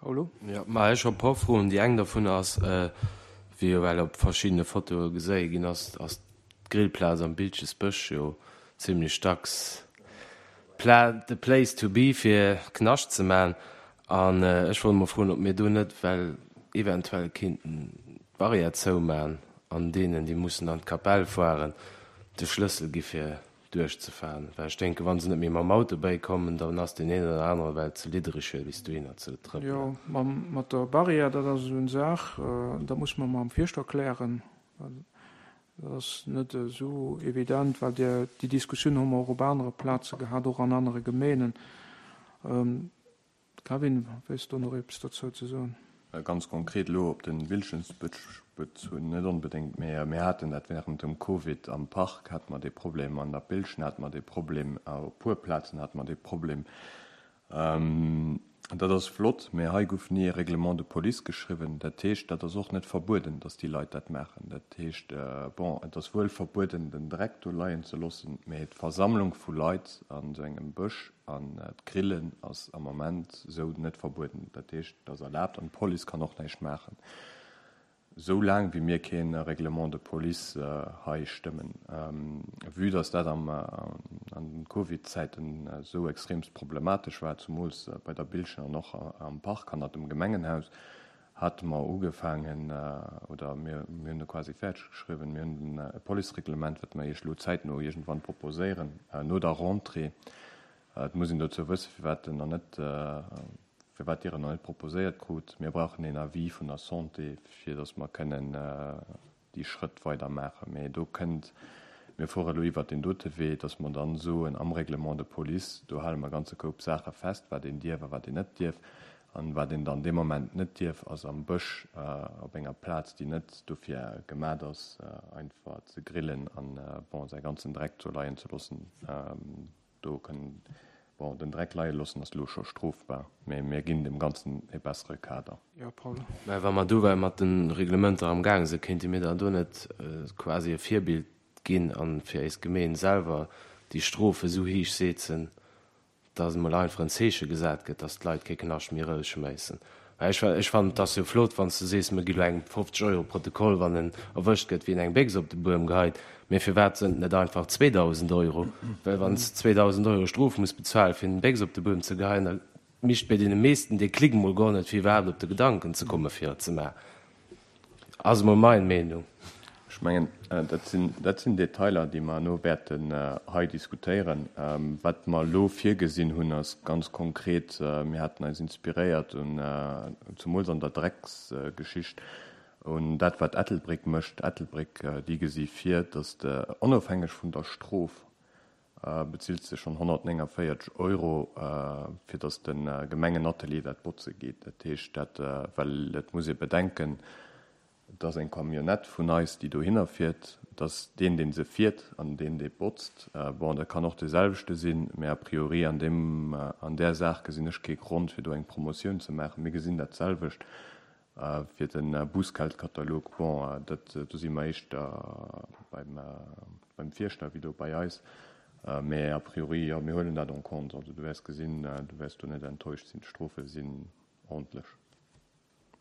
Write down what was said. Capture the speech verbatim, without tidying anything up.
Paolo? Jo, ma ech hu e puer Froen. Déi eng dovun ass, wéi jo well op verschiddene Fotoe geséi ginn ass, ass d'Grillplaz am Biltgesbësch jo zimlech dacks the place to be fir Knascht ze man. An ech wollt mol froen, ob mir do net well eventuell kinnten d'Barrière zouman an deenen, déi mussen an d'Kapell fueren, de Schlëssel gi fir duerchzefahren. Well ech denken, wa se net méi mam Auto bäikommen, dann ass deen een oder anere well ze liddereg fir bis dohinner ze trëppelen. Jo, mam, mat der Barrière, dat ass esou eng Saach, dat muss mer mam Fierschter klären. Dat ass net esou evident, well déi, déi Diskussioun hu mer och op anere Plaze gehat, och an anere Gemeenen. Kevin, wéilts du nach eppes dozou ze soen? Ganz konkret elo op de Biltgesbësch bezunn net onbedéngt, mee mir haten dat während dem Covid am Park hate mer dee Problem, an der Biltgen hate mer dee Problem, op puer Plazen hate mer dee Problem. Dat ass flott, mee hei gouf ni e Règlement de police geschriwwen. Dat heescht, dat ass och net verbueden, datt déi Leit dat maachen. Dat heescht, bon, et ass wuel verbueden, den Dreck do leien ze loossen, mee d'Versammlung vu Leit an esou engem Bësch an d'Grillen ass am Moment esou net verbueden. Dat heescht, et ass erlaabt an d'Police kann och näischt maachen, esou laang wéi mir kee Règlement de police hei stëmmen. Vue dass dat am an den Covid-Zäiten esou extremst problematesch war, zumools bei der Biltgen an och am Park hannert dem Gemengenhaus, hate mer ugefaangen, oder mir mir hunn e quasi fäerdeg geschriwwen, mir hunn e Policereglement, wat mer Iech elo zäitno iergendwann proposéieren, no der Rentrée. Et muss een dozou wëssen, firwat en nach net, firwat Dir en nach net proposéiert krut. Mir brauchen een Avis vun der Santé, fir datt mer kënnen déi Schrëtt weider maachen. Mee do kënnt, mir fuere elo iwwert deen dote Wee, datt mer dann soen, am Règlement de police, do hale mer e ganze Koup Saache fest, wat een dierf a wat een net dierf. An wat een dann dee Moment net dierf, ass am Bësch op enger Plaz, déi net dofir gemat ass, einfach ze grillen an, bon, säi ganzen Dreck do leien ze loossen. Do kënn, bon, den Dreck leie loossen ass elo scho strofbar, mee mir ginn dem Ganzen e bessere Kader. Jo, Paul. Mä wa mer do well mat de Reglementer am gaange sinn, kéinte mir dann do net quasi e Virbild ginn a fir eis Gemeen selwer déi Strofe sou héich setzen, dass emol einfach en Zeeche gesat gëtt, dass d'Leit kee Knascht méi erousschméissen? Well ech, ech fannen, et ass jo flott, wann s du sees, mir gi lo engem fofzeg Euro Protokoll, wann en erwëscht gëtt, wéi en eng Béchs op de Buedem geheit. Mee firwat sënn et net einfach zweedausend Euro? Well wann s de zweedausend Euro Strof muss bezuelen, fir eng Béchs op de Buedem ze geheien, da mischt bei deene meeschten dee Klick emol guer net, fir iwwerhaapt op de Gedanken ze kommen, fir et ze maachen. Ass emol mein Meenung. Ech mengen, dat sinn, dat sinn Detailer, déi mer elo wäerten hei diskutéieren. Wat mer elo virgesinn hunn, ass ganz konkret, mir haten eis inspiréiert un, zumools an der Drecksgeschicht, un dat, wat Ettelbréck mécht. Ettelbréck, déi gesi vir, dass de, onofhängeg vun der Strof, bezills de schonn honnertnénganvéierzeg Euro, fir dass de Gemengenatelier dat botze geet. Dat heescht, dat, well et muss ee bedenken, et ass eng Camionnette vun eis, déi dohinner fiert. Et ass deen, dee se fiert an deen, dee botzt. Bon, dat kann och dee selwechte sinn, mä a priori an deem, an där Saach gesinn ech kee Grond, fir do eng Promotioun ze maachen. Mir gesinn dat selwecht fir de Bussgeldkatalog. Bon, dat, do si mer éischter beim, beim Fierschter wéi do bei eis. Mä a priori, jo, mir huelen dat en compte. Also du wäers gesinn, du wäers do net enttäuscht sinn. D'Strofe sinn ordentlech.